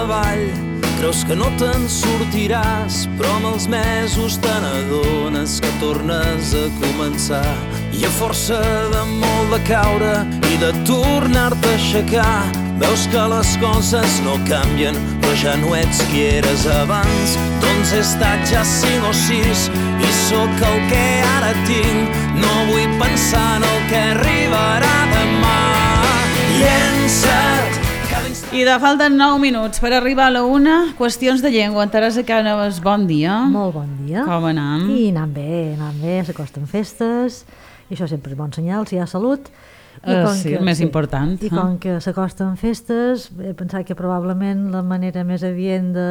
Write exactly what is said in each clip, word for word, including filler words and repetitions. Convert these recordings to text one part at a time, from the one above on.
treball. Creus que no te'n sortiràs, però amb els mesos te n'adones que tornes a començar. I a força de molt de caure i de tornar-te a aixecar, veus que les coses no canvien, però ja no ets qui eres abans. Doncs he estat ja cinc o sis i sóc el que ara tinc. No vull pensar en el que arribarà demà. Llença't. I de falten nou minuts per arribar a la una. Qüestions de llengua. Teresa Cànovas, bon dia. Molt bon dia. Com anem? I anant bé, anant bé, s'acosten festes, i això sempre és bon senyal, si hi ha salut. I Uh, com sí, que, el més sí, important. I eh? com que s'acosten festes, he pensat que probablement la manera més adient de,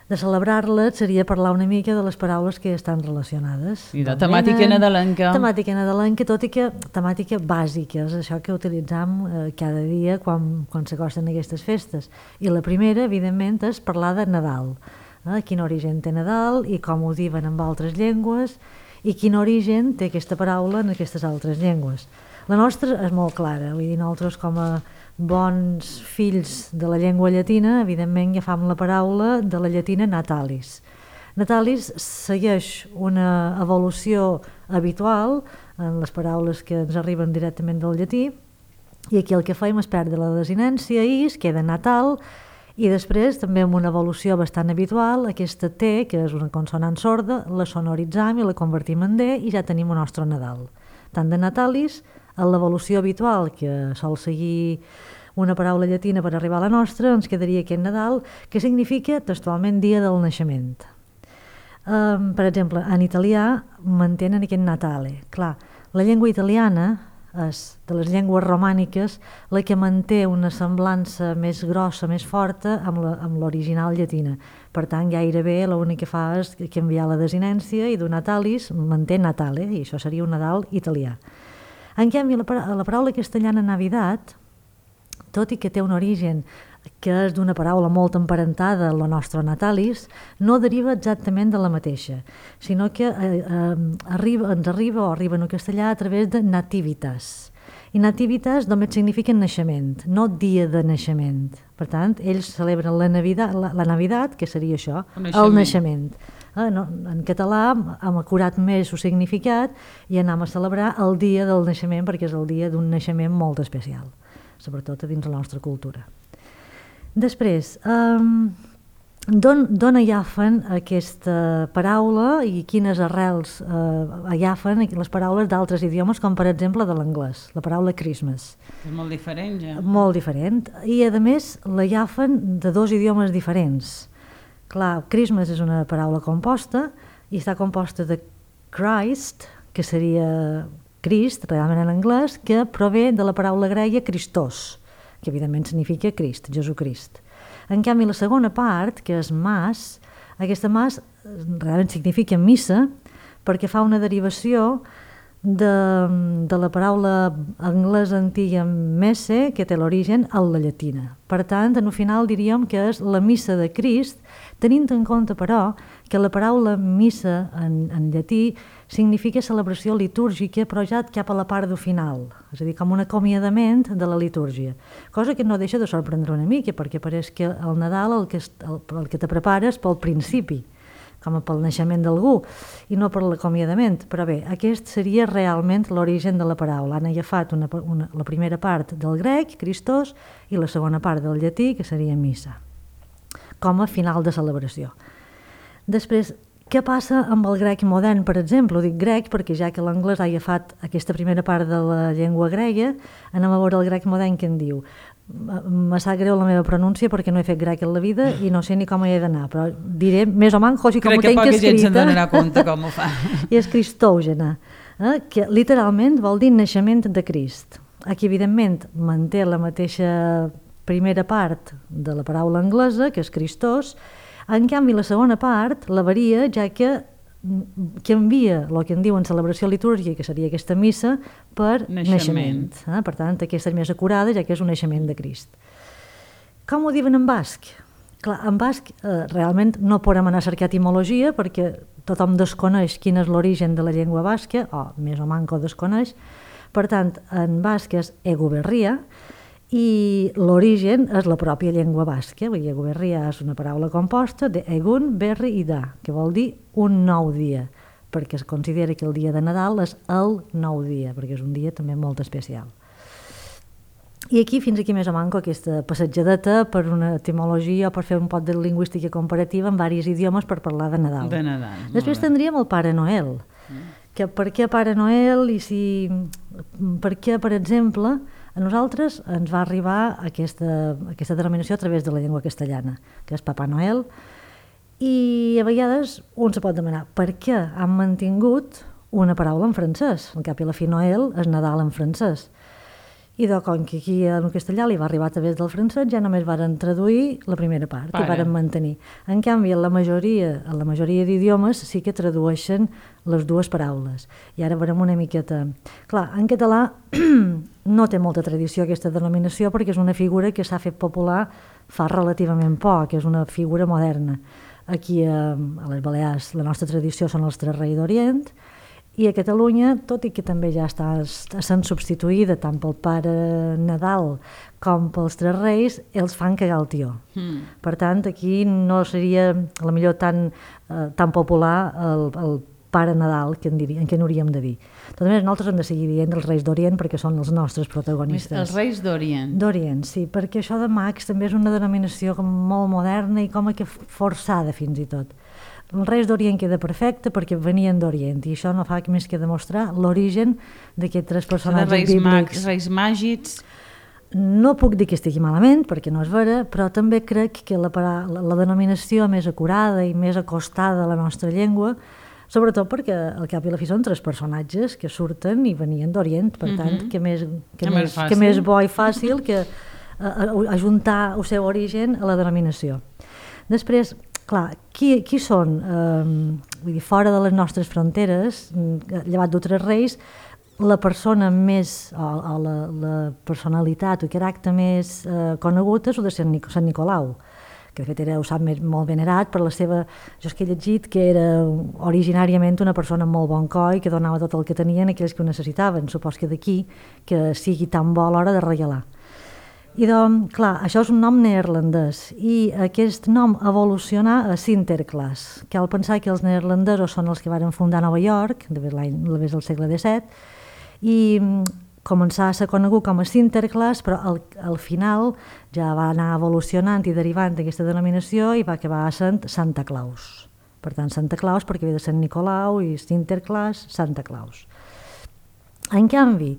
de celebrar-les seria parlar una mica de les paraules que estan relacionades. I de temàtica nadalenca. Temàtica nadalenca, tot i que temàtica bàsica, és això que utilitzam eh, cada dia quan, quan s'acosten aquestes festes. I la primera, evidentment, és parlar de Nadal. Eh? Quin origen té Nadal i com ho diuen en altres llengües i quin origen té aquesta paraula en aquestes altres llengües. La nostra és molt clara, vull dir, nosaltres com a bons fills de la llengua llatina, evidentment agafam la paraula de la llatina natalis. Natalis segueix una evolució habitual en les paraules que ens arriben directament del llatí, i aquí el que fem és perdre la desinència i es queda natal, i després també amb una evolució bastant habitual, aquesta T, que és una consonant sorda, la sonoritzam i la convertim en D i ja tenim el nostre Nadal. Tant de natalis, a l'evolució habitual que sol seguir una paraula llatina per arribar a la nostra, ens quedaria aquest Nadal, que significa textualment dia del naixement. Um, per exemple, en italià mantenen aquest Natale. Clar, la llengua italiana és de les llengües romàniques la que manté una semblança més grossa, més forta amb l'original llatina. Per tant, gairebé l'únic que fa és canviar la desinència i d'un natalis manté Natale, i això seria un Nadal italià. En canvi, la, la paraula castellana Navidad, tot i que té un origen que és d'una paraula molt emparentada a la nostra natalis, no deriva exactament de la mateixa, sinó que eh, eh, arriba, ens arriba o arriba en castellà a través de nativitas. I nativitas només significa naixement, no dia de naixement. Per tant, ells celebren la Navidad, la, la Navidad, que seria això, el naixement. El naixement. Eh, no, en català hem acurat més el significat i anem a celebrar el dia del naixement perquè és el dia d'un naixement molt especial, sobretot a dins la nostra cultura. Després, um, d'on agafen aquesta paraula i quines arrels uh, agafen les paraules d'altres idiomes, com per exemple de l'anglès, la paraula Christmas. És molt diferent, ja. Molt diferent, i a més l'agafen de dos idiomes diferents. Clar, Christmas és una paraula composta i està composta de Christ, que seria Crist, realment en anglès, que prové de la paraula grega Christos, que evidentment significa Crist, Jesucrist. En canvi, la segona part, que és mas, aquesta mas realment significa missa, perquè fa una derivació de, de la paraula anglesa antiga messe, que té l'origen a la llatina. Per tant, en el final diríem que és la missa de Crist, tenint en compte, però, que la paraula missa en, en llatí significa celebració litúrgica, però ja cap a la part del final, és a dir, com un acomiadament de la litúrgia. Cosa que no deixa de sorprendre una mica, perquè pareix que el Nadal el que, el, el que te prepares pel principi, com pel naixement d'algú, i no per l'acomiadament. Però bé, aquest seria realment l'origen de la paraula. Han agafat una, una, la primera part del grec, Christos, i la segona part del llatí, que seria missa, com a final de celebració. Després, què passa amb el grec modern, per exemple? Ho dic grec perquè ja que l'anglès ha agafat aquesta primera part de la llengua grega, anem a veure el grec modern que en diu. Me sap greu la meva pronúncia perquè no he fet grec en la vida i no sé ni com hi he d'anar, però diré més o menys com ho tenc escrita. Crec que poca gent se'n donarà compte com ho fa. I és cristògena, eh? Que literalment vol dir naixement de Crist. Aquí, evidentment, manté la mateixa primera part de la paraula anglesa, que és Christos. En canvi, la segona part la varia, ja que canvia el que en diuen celebració litúrgica, que seria aquesta missa, per naixement. naixement eh? Per tant, aquesta és més acurada, ja que és un naixement de Crist. Com ho diuen en basc? Clar, en basc eh, realment no podem anar a cercar etimologia perquè tothom desconeix quin és l'origen de la llengua basca, o més o manco desconeix. Per tant, en basc és eguberria, i l'origen és la pròpia llengua basca. Eguberria és una paraula composta de egun, berri i da, que vol dir un nou dia, perquè es considera que el dia de Nadal és el nou dia, perquè és un dia també molt especial. I aquí, fins aquí més o manco, aquesta passatjadeta per una etimologia o per fer un pot de lingüística comparativa en diversos idiomes per parlar de Nadal. De Nadal. Després tindríem el Pare Noel, que per què Pare Noel i si... per què, per exemple, a nosaltres ens va arribar aquesta, aquesta denominació a través de la llengua castellana, que és Papà Noel, i a vegades un se pot demanar per què han mantingut una paraula en francès. Al cap i a la fi Noel és Nadal en francès. I de com que aquí en castellà li va arribar a través del francès, ja només varen traduir la primera part Pare. I varen mantenir. En canvi, en la majoria, en la majoria d'idiomes sí que tradueixen les dues paraules. I ara veurem una miqueta... Clar, en català no té molta tradició aquesta denominació perquè és una figura que s'ha fet popular fa relativament poc, és una figura moderna. Aquí a, a les Balears la nostra tradició són els Tres Reis d'Orient, i a Catalunya, tot i que també ja està sent substituïda tant pel Pare Nadal com pels Tres Reis, els fan cagar el tió. Mm. Per tant, aquí no seria a la millor tan, eh, tan popular el, el Pare Nadal que en, diria, en què n'hauríem de dir. De totes maneres, nosaltres hem de seguir dient els Reis d'Orient perquè són els nostres protagonistes. Els Reis d'Orient. D'Orient, sí, perquè això de mags també és una denominació com molt moderna i com que forçada fins i tot. Els Reis d'Orient queda perfecte perquè venien d'Orient i això no fa més que demostrar l'origen d'aquests tres personatges reis bíblics. Mags, reis màgics... No puc dir que estigui malament, perquè no és vera, però també crec que la, la, la denominació més acurada i més acostada a la nostra llengua, sobretot perquè al cap i la fi són tres personatges que surten i venien d'Orient, per tant, mm-hmm. que, més, que, que, més, que més bo i fàcil que ajuntar el seu origen a la denominació. Després, clar, qui, qui són? Eh, vull dir, fora de les nostres fronteres, llevat d'altres reis, la persona més, o, o la, la personalitat o caràcter més eh, conegut és el de Sant, Nic Sant Nicolau, que de fet era, ho sap, molt venerat per la seva... Jo és que he llegit que era originàriament una persona molt bon coi, que donava tot el que tenien a aquells que ho necessitaven. Supos que d'aquí que sigui tan bo a l'hora de regalar. I doncs, clar, això és un nom neerlandès i aquest nom evolucionà a Sinterklaas. Cal pensar que els neerlandesos són els que van fundar Nova York, de des del segle disset, i començà a ser conegut com a Sinterklaas, però al, al final ja va anar evolucionant i derivant d'aquesta denominació i va acabar sent Santa Claus. Per tant, Santa Claus perquè ve de Sant Nicolau i Sinterklaas, Santa Claus. En canvi,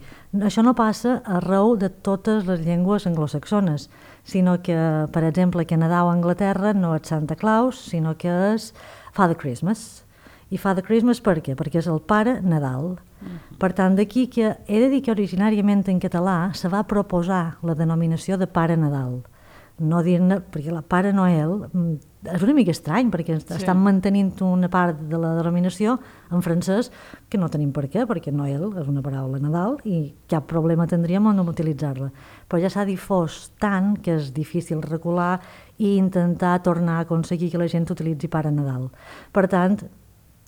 això no passa arreu de totes les llengües anglosaxones, sinó que, per exemple, que Nadal a Anglaterra no és Santa Claus, sinó que és Father Christmas. I Father Christmas per què? Perquè és el Pare Nadal. Mm-hmm. Per tant, d'aquí que he de dir que originàriament en català se va proposar la denominació de Pare Nadal. No dir-ne, perquè la Pare Noel és una mica estrany, perquè sí. estan mantenint una part de la denominació en francès que no tenim per què, perquè Noel és una paraula Nadal i cap problema tindríem en no utilitzar-la. Però ja s'ha difós tant que és difícil recular i intentar tornar a aconseguir que la gent utilitzi Pare Nadal. Per tant,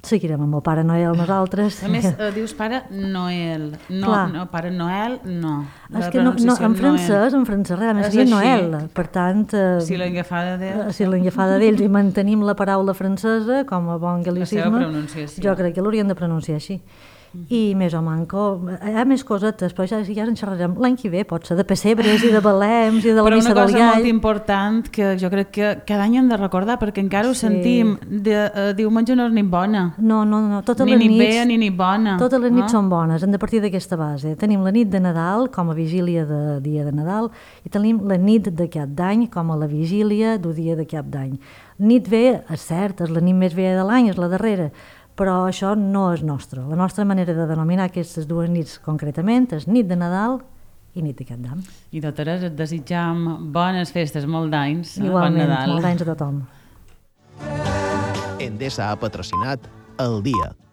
seguirem amb el Pare Noel nosaltres. A més, eh, dius Pare Noel. No, no, Pare Noel, no. És que no, no, en francès, en francès realment seria Noel. Per tant, eh, si l'engafada d'ells. Si l'engafada d'ells i mantenim la paraula francesa com a bon gal·licisme, jo crec que l'haurien de pronunciar així. I més o manco, hi ha més cosetes, però ja, ja en xerrarem l'any que ve, pot ser de pessebres i de balems i de la missa del gall. Però una cosa molt important que jo crec que cada any hem de recordar, perquè encara ho sí. sentim, de, uh, diumenge no és ni bona. No, no, no, totes ni les ni nits... Ni bé ni ni bona. Totes les nits no? són bones, hem de partir d'aquesta base. Tenim la nit de Nadal com a vigília de dia de Nadal i tenim la nit de cap d'any com a la vigília del dia de cap d'any. Nit bé, és cert, és la nit més vella de l'any, és la darrera, però això no és nostre. La nostra manera de denominar aquestes dues nits concretament és nit de Nadal i nit de Cap d'Any. I totes et desitjam bones festes, molt d'anys. Igualment, bon Nadal. molt d'anys a tothom. Endesa ha patrocinat El Dia,